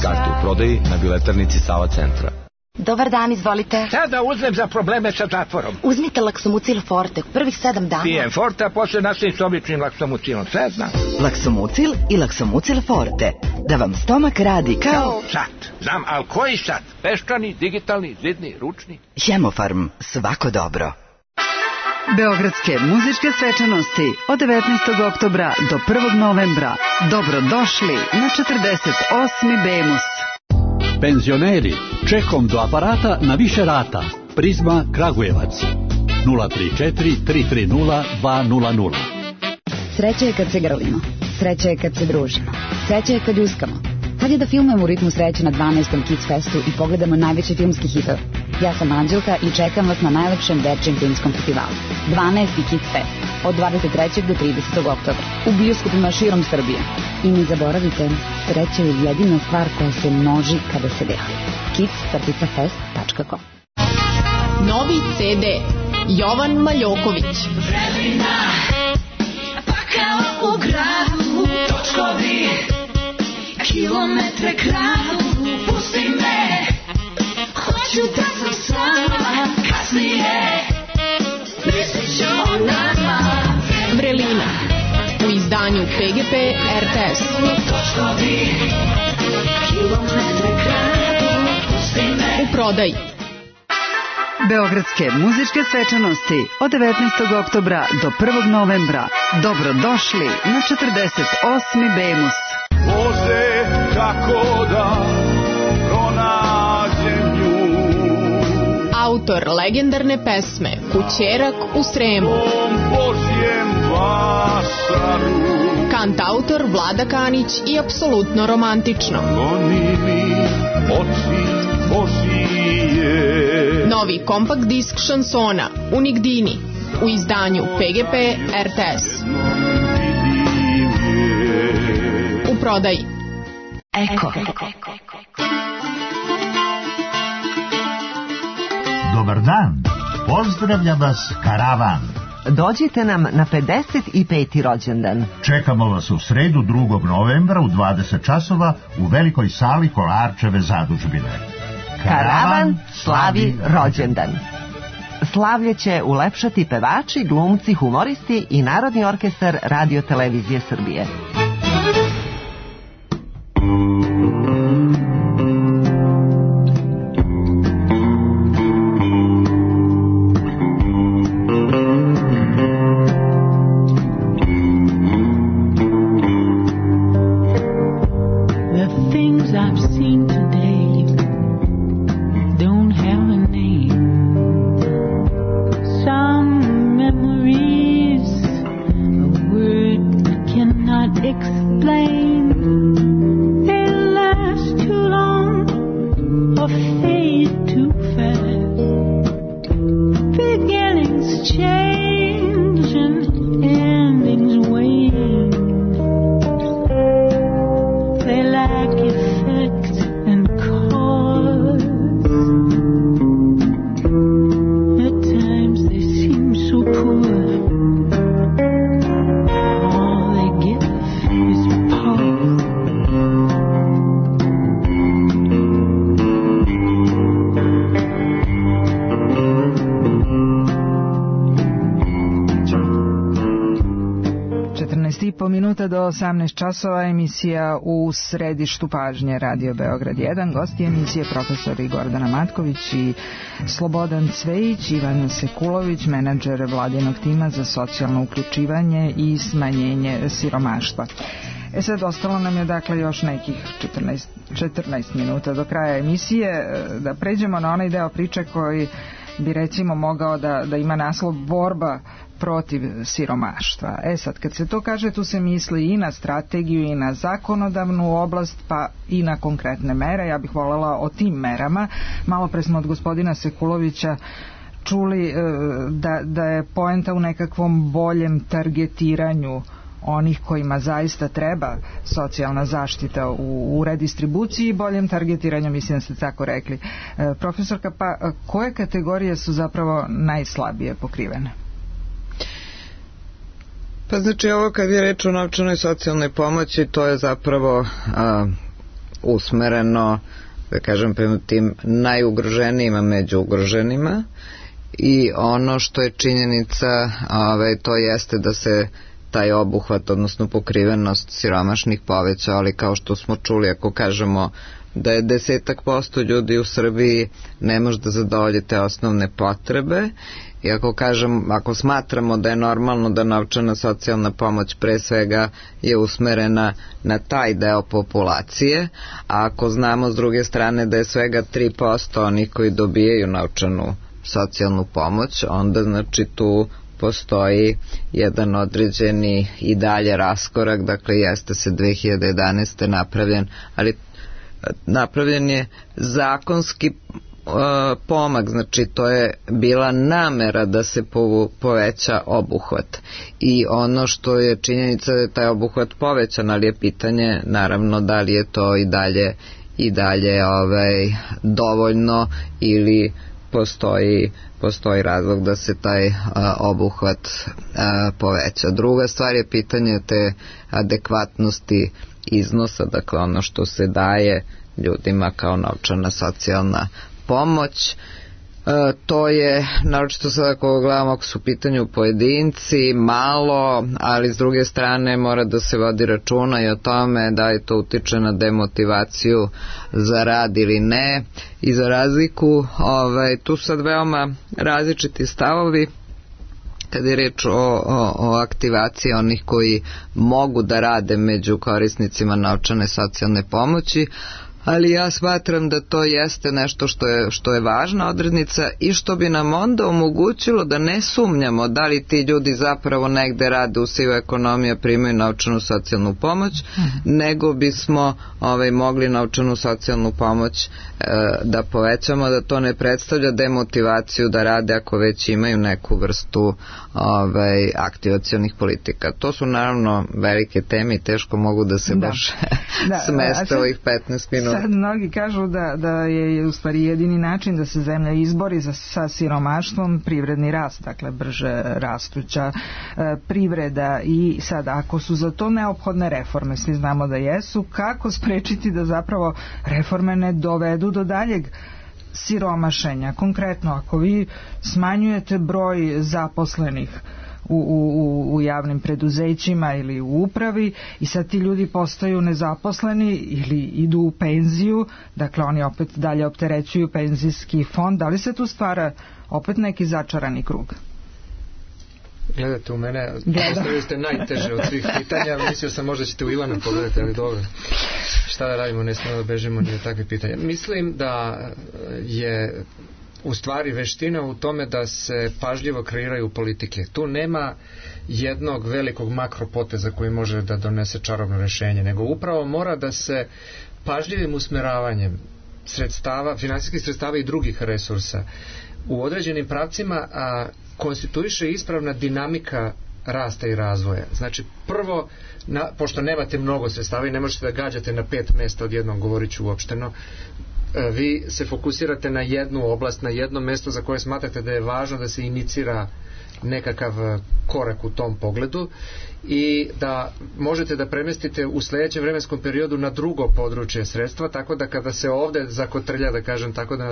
Karte u prodaji na biletarnici Sava centra. Dobar dan, izvolite. Šta da uzmem za probleme sa zatvorom? Uzmite Laksomucil Forte, prvih 7 dana. Pijem Forte, a posle nastavim s običnim Laksomucilom, sve znam. Laksomucil i Laksomucil Forte, da vam stomak radi kao... Sat, znam, ali koji sat? Peščani, digitalni, zidni, ručni? Hemofarm, svako dobro. Beogradske muzičke svečanosti od 19. oktobra do 1. novembra. Dobrodošli na 48. Bemus. Penzioneri, čekom do aparata na više rata. Prizma Kragujevac 034 330 200. Sreća je kad se grlimo, sreća je kad se družimo, sreća je kad ljuskamo. Kad je da filmujemo u ritmu sreće na 12. Kids Festu i pogledamo najveće filmski hitove. Ja sam Anđelka i čekam vas na najlepšem dečjem filmskom festivalu. 12. Kids Fest od 23. do 30. oktobra u bioskopima širom Srbije. I ne zaboravite, sreća je jedina stvar koja se množi kada se deli. kids.fest.com. Novi CD Jovan Maljoković. Vremena, pa kao u gradu, točkovi, kilometre kradu, pusti me, hoću da sam sama, kasnije, mislit ću o nama. Vrelina, u izdanju PGP RTS. Točkovi, kilometre kradu, pusti me. U prodaji. Beogradske muzičke svečanosti od 19. oktobra do 1. novembra. Dobrodošli na 48. Bemus. Bože, kako da pronađem nju. Autor legendarne pesme Kućerak u Sremu. Kantautor Vlada Kanić i apsolutno romantično. Goni mi oči Božije. Novi kompakt disk šansona Unigdini u izdanju PGP RTS. U prodaji. Eko. Dobar dan. Pozdravlja vas Karavan. Dođite nam na 55. rođendan. Čekamo vas u sredu 2. novembra u 20 časova u velikoj sali Kolarčeve zadužbine. Karavan slavi rođendan. slavlje će ulepšati pevači, glumci, humoristi i Narodni orkestar Radio Televizije Srbije. Do 18 časova emisija U središtu pažnje Radio Beograd 1. Gosti emisije profesori Gordana Matković i Slobodan Cvejić, Ivan Sekulović, menadžer vladinog tima za socijalno uključivanje i smanjenje siromaštva. Sad ostalo nam je dakle još nekih 14 minuta do kraja emisije da pređemo na onaj deo priče koji bi recimo mogao da ima naslov borba protiv siromaštva. Sad, kad se to kaže, tu se misli i na strategiju i na zakonodavnu oblast, pa i na konkretne mere. Ja bih voljela o tim merama. Malo pre smo od gospodina Sekulovića čuli da je poenta u nekakvom boljem targetiranju onih kojima zaista treba socijalna zaštita u redistribuciji i boljem targetiranju, mislim da ste tako rekli. Profesorka, pa koje kategorije su zapravo najslabije pokrivene? Pa znači ovo kad je reč o novčanoj socijalnoj pomoći, to je zapravo usmereno, da kažem, prema tim najugroženijima među ugroženima, i ono što je činjenica, to jeste da se taj obuhvat, odnosno pokrivenost siromašnih poveća, ali kao što smo čuli, ako kažemo da je 10% ljudi u Srbiji ne može da zadovolji te osnovne potrebe, i ako smatramo da je normalno da novčana socijalna pomoć pre svega je usmerena na taj deo populacije, a ako znamo s druge strane da je svega 3% onih koji dobijaju novčanu socijalnu pomoć, onda znači tu postoji jedan određeni i dalje raskorak. Dakle, jeste se 2011. napravljen, ali napravljen je zakonski pomak, znači to je bila namera da se poveća obuhvat, i ono što je činjenica da je taj obuhvat povećan, ali je pitanje naravno da li je to i dalje dovoljno ili postoji razlog da se taj obuhvat poveća. Druga stvar je pitanje te adekvatnosti iznosa, dakle ono što se daje ljudima kao novčana socijalna pomoć. To je, naročito sada ako gledamo, ako su u pitanju pojedinci, malo, ali s druge strane mora da se vodi računa i o tome da li to utiče na demotivaciju za rad ili ne. I za razliku, tu sad veoma različiti stavovi kad je reč o aktivaciji onih koji mogu da rade među korisnicima novčane socijalne pomoći, ali ja smatram da to jeste nešto što je važna odrednica i što bi nam onda omogućilo da ne sumnjamo da li ti ljudi zapravo negde rade u sivoj ekonomiji, primaju novčanu socijalnu pomoć, nego bismo mogli novčanu socijalnu pomoć da povećamo, da to ne predstavlja demotivaciju da rade ako već imaju neku vrstu aktivacionih politika. To su naravno velike teme i teško mogu da se baš smeste ovih 15 minuta. Sad mnogi kažu da je u stvari jedini način da se zemlja izbori sa siromaštvom privredni rast, dakle brže rastuća privreda, i sad ako su za to neophodne reforme, svi znamo da jesu, kako sprečiti da zapravo reforme ne dovedu do daljeg siromašenja. Konkretno, ako vi smanjujete broj zaposlenih u javnim preduzećima ili u upravi i sad ti ljudi postaju nezaposleni ili idu u penziju, dakle oni opet dalje opterećuju penzijski fond, da li se tu stvara opet neki začarani krug? Gledate u mene, postavili ste najteže od svih pitanja, mislio sam možda ćete u Ivana pogledati, ali dobro, šta da radimo, ne smemo da bežimo ni od takve pitanja. Mislim da je u stvari veština u tome da se pažljivo kreiraju politike. Tu nema jednog velikog makropoteza koji može da donese čarobno rešenje, nego upravo mora da se pažljivim usmeravanjem sredstava, finansijskih sredstava i drugih resursa u određenim pravcima konstituiše ispravna dinamika rasta i razvoja. Znači, prvo, pošto nemate mnogo sredstava i ne možete da gađate na 5 mesta odjednom, govorit ću uopšteno, vi se fokusirate na jednu oblast, na jedno mesto za koje smatrate da je važno da se inicira nekakav korak u tom pogledu i da možete da premestite u sledećem vremenskom periodu na drugo područje sredstva, tako da kada se ovde zakotrlja, da kažem tako, da na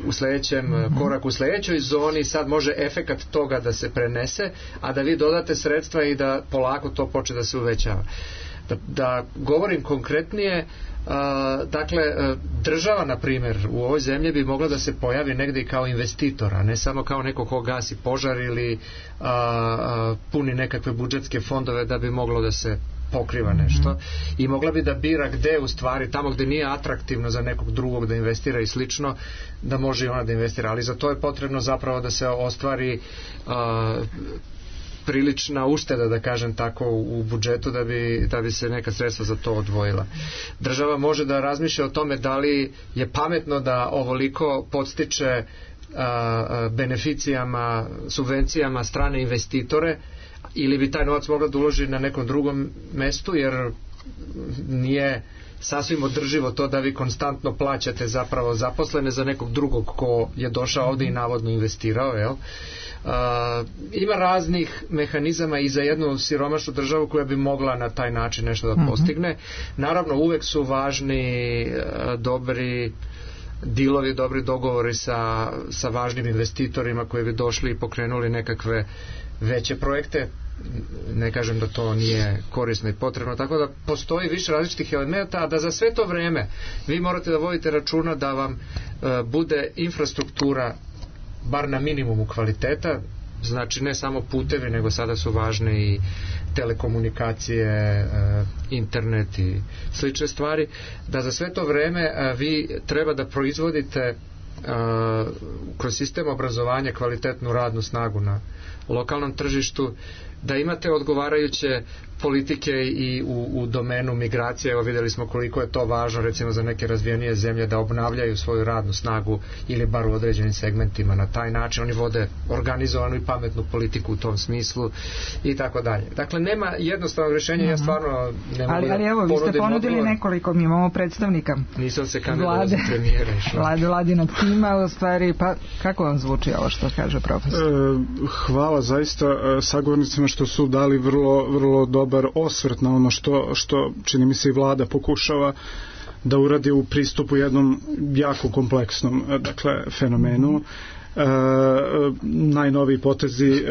u sledećem koraku, u sledećoj zoni sad može efekat toga da se prenese, a da vi dodate sredstva i da polako to počne da se uvećava. Da govorim konkretnije, dakle, država, na primjer, u ovoj zemlji bi mogla da se pojavi negde i kao investitor, a ne samo kao neko ko gasi požar ili puni nekakve budžetske fondove da bi moglo da se pokriva nešto, i mogla bi da bira gde u stvari, tamo gde nije atraktivno za nekog drugog da investira i slično, da može i ona da investira, ali za to je potrebno zapravo da se ostvari prilična ušteda, da kažem tako, u budžetu da bi se neka sredstva za to odvojila. Država može da razmišlja o tome da li je pametno da ovoliko podstiče beneficijama, subvencijama strane investitore, ili bi taj novac mogla da uloži na nekom drugom mestu, jer nije sasvim održivo to da vi konstantno plaćate zapravo zaposlene za nekog drugog ko je došao ovde i navodno investirao, jel? Ima raznih mehanizama i za jednu siromašnu državu koja bi mogla na taj način nešto da postigne. Naravno, uvek su važni dobri dilovi, dobri dogovori sa važnim investitorima koji bi došli i pokrenuli nekakve veće projekte. Ne kažem da to nije korisno i potrebno, tako da postoji više različitih elementa, a da za sve to vreme vi morate da vodite računa da vam bude infrastruktura bar na minimumu kvaliteta, znači ne samo putevi, nego sada su važne i telekomunikacije, internet i slične stvari, da za sve to vreme vi treba da proizvodite kroz sistem obrazovanja kvalitetnu radnu snagu na lokalnom tržištu, da imate odgovarajuće politike i u domenu migracije. Evo, videli smo koliko je to važno recimo za neke razvijenije zemlje da obnavljaju svoju radnu snagu ili bar u određenim segmentima. Na taj način oni vode organizovanu i pametnu politiku u tom smislu i tako dalje. Dakle, nema jednostavnog rješenja, ja stvarno ne mogu ali evo, vi ste ponudili nekoliko, mi imamo predstavnika. Nisam se kandidovao za premijera. Vladinog tima, u stvari, pa kako vam zvuči ovo što kaže profesor? Hvala zaista sagovornicima što su dali vrlo dobar osvrt na ono što čini mi se i vlada pokušava da uradi u pristupu jednom jako kompleksnom fenomenu. Najnoviji potezi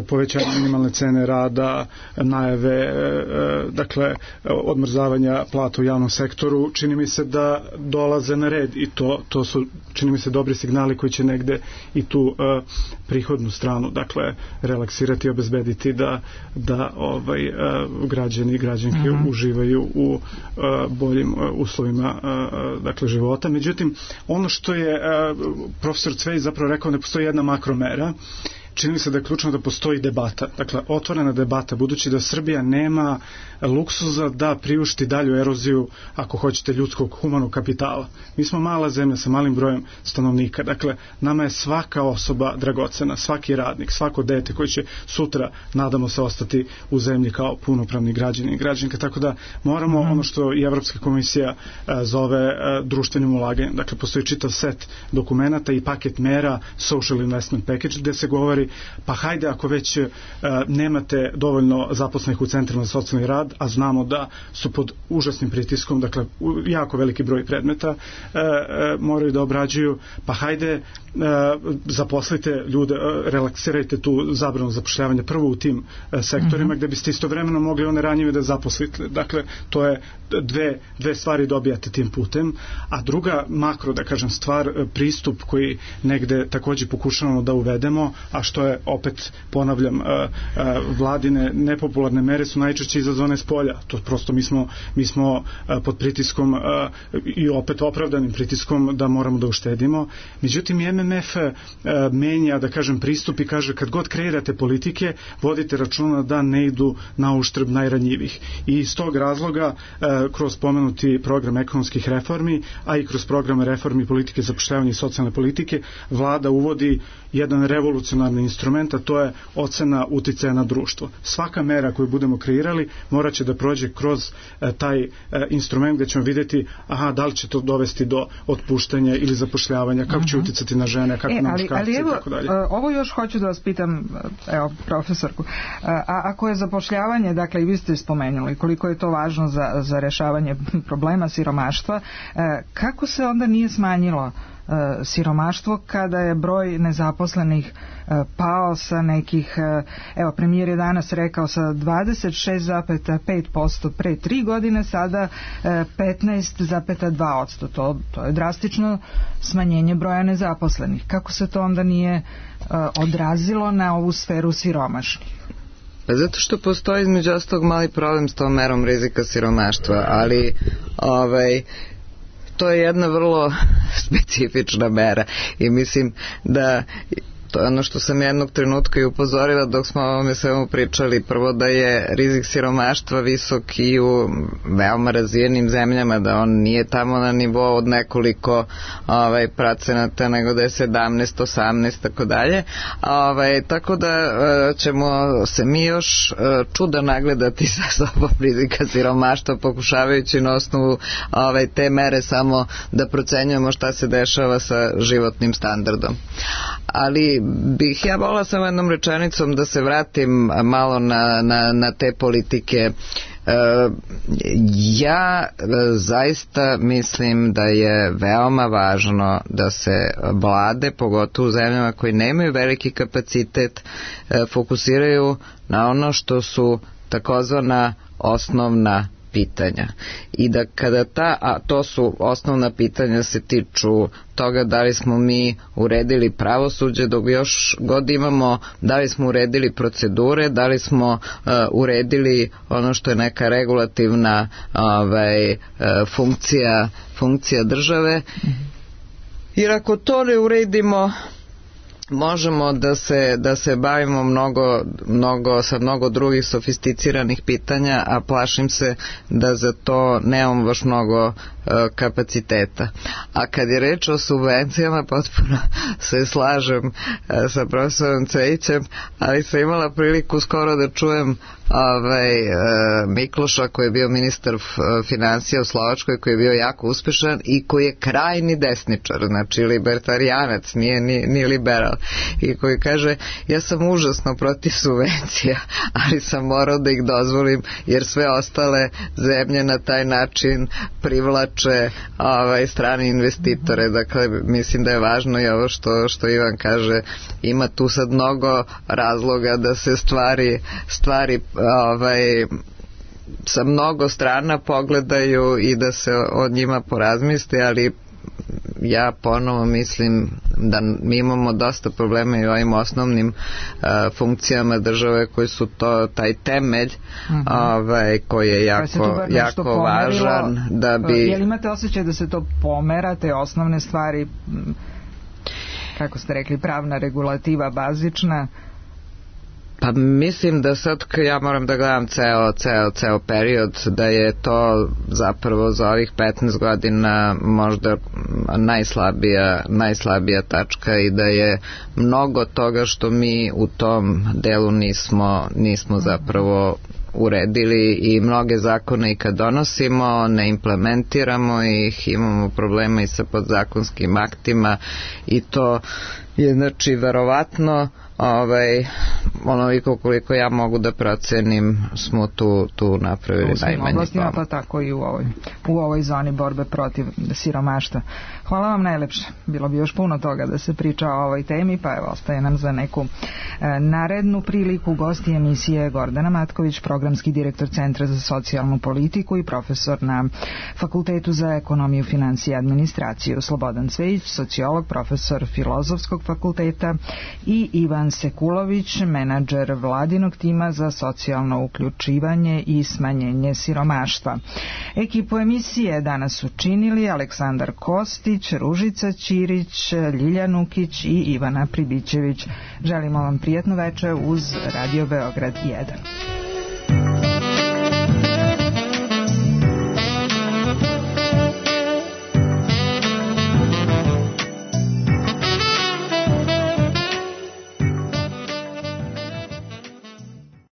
povećanje minimalne cene rada, najave odmrzavanja plata u javnom sektoru, čini mi se da dolaze na red i to su, čini mi se, dobri signali koji će negde i tu prihodnu stranu relaksirati i obezbediti da građani i građanke uživaju u boljim uslovima života. Međutim, ono što je profesor Cvej zapravo rekao, ne postoji jedna makromera. Čini mi se da je ključno da postoji debata, otvorena debata, budući da Srbija nema luksuza da priušti dalju eroziju, ako hoćete, ljudskog humanog kapitala. Mi smo mala zemlja sa malim brojem stanovnika, nama je svaka osoba dragocena, svaki radnik, svako dete koji će sutra, nadamo se, ostati u zemlji kao punopravni građani i građanke, tako da moramo ono što i Evropska komisija zove društvenim ulaganjem. Postoji čitav set dokumenata i paket mera, social investment package, gde se govori rekli, pa hajde ako već nemate dovoljno zaposlenih u centrima za socijalni rad, a znamo da su pod užasnim pritiskom, dakle jako veliki broj predmeta moraju da obrađuju, pa hajde zaposlite ljude, relaksirajte tu zabranu zapošljavanja prvo u tim sektorima gde biste istovremeno mogli one ranjive da zaposlite. Dakle, to je dve stvari dobijate tim putem, a druga makro, da kažem, stvar, pristup koji negde takođe pokušavamo da uvedemo, a što je, opet ponavljam, vladine nepopularne mere su najčešće izazvane s polja. To prosto mi smo pod pritiskom i opet opravdanim pritiskom da moramo da uštedimo. Međutim, MMF menja, da kažem, pristup i kaže kad god kreirate politike, vodite računa da ne idu na uštrb najranjivih. I iz tog razloga kroz pomenuti program ekonomskih reformi, a i kroz programe reformi politike zapošljavanja i socijalne politike, vlada uvodi jedan revolucionarni instrument, a to je ocena uticaja na društvo. Svaka mera koju budemo kreirali morat će da prođe kroz taj instrument gde ćemo vidjeti da li će to dovesti do otpuštanja ili zapošljavanja, kako će uticati na žene, kako na muškarce i tako dalje. Ovo još hoću da vas pitam, evo, profesorku, a ako je zapošljavanje, dakle i vi ste spomenuli koliko je to važno za rešavanje problema siromaštva, kako se onda nije smanjilo siromaštvo kada je broj nezaposlenih pao sa nekih, evo, premijer je danas rekao sa 26,5% pre 3 godine, sada 15,2%. To je drastično smanjenje broja nezaposlenih. Kako se to onda nije odrazilo na ovu sferu siromašnih? Pa zato što postoji između ostalog mali problem s tom merom rizika siromaštva, ali to je jedna vrlo specifična mera i mislim da to je ono što sam jednog trenutka i upozorila dok smo o ovome svemu pričali. Prvo da je rizik siromaštva visok i u veoma razvijenim zemljama, da on nije tamo na nivou od nekoliko procenata, nego da je 17, 18, tako dalje. Tako da ćemo se mi još čuda nagledati sa sobom rizika siromaštva, pokušavajući na osnovu te mere samo da procenjujemo šta se dešava sa životnim standardom. Ali bih ja volila samo jednom rečenicom da se vratim malo na te politike. Ja zaista mislim da je veoma važno da se vlade, pogotovo u zemljama koji nemaju veliki kapacitet, fokusiraju na ono što su takozvana osnovna pitanja. I da kada to su osnovna pitanja, se tiču toga da li smo mi uredili pravosuđe, dok još god imamo, da li smo uredili procedure, da li smo uredili ono što je neka regulativna funkcija države. Jer ako to ne uredimo, možemo da se bavimo sa mnogo drugih sofisticiranih pitanja, a plašim se da za to nemamo baš mnogo kapaciteta. A kad je reč o subvencijama, potpuno se slažem sa profesorom Cvejićem, ali sam imala priliku skoro da čujem Mikloša, koji je bio ministar finansija u Slovačkoj, koji je bio jako uspešan i koji je krajni desničar, znači libertarijanac, nije ni liberal, i koji kaže: ja sam užasno protiv subvencija, ali sam morao da ih dozvolim jer sve ostale zemlje na taj način privlače strane investitore. Dakle, mislim da je važno i ovo što Ivan kaže, ima tu sad mnogo razloga da se stvari sa mnogo strana pogledaju i da se o njima porazmisli, ali ja ponovo mislim da mi imamo dosta problema i u ovim osnovnim funkcijama države koji su taj temelj koji je jako važan da bi... Jel imate osjećaj da se to pomera, te osnovne stvari, kako ste rekli, pravna regulativa bazična? Pa mislim da sad ja moram da gledam ceo period, da je to zapravo za ovih 15 godina možda najslabija tačka i da je mnogo toga što mi u tom delu nismo zapravo uredili i mnoge zakone i kad donosimo ne implementiramo ih, imamo problema i sa podzakonskim aktima i to je znači verovatno onoliko koliko ja mogu da procenim smo tu napravili najmanji pomak. Pa tako i u ovoj zoni borbe protiv siromaštva. Hvala vam najlepše. Bilo bi još puno toga da se priča o ovoj temi, pa evo ostaje nam za neku narednu priliku. Gosti emisije Gordana Matković, programski direktor Centra za socijalnu politiku i profesor na Fakultetu za ekonomiju, finansije i administraciju, Slobodan Cvejić, sociolog, profesor Filozofskog fakulteta, i Ivan Sekulović, menadžer vladinog tima za socijalno uključivanje i smanjenje siromaštva. Ekipu emisije danas su činili Aleksandar Kostić, Ružica Ćirić, Ljilja Nukić i Ivana Pribićević. Želimo vam prijatnu večer uz Radio Beograd 1.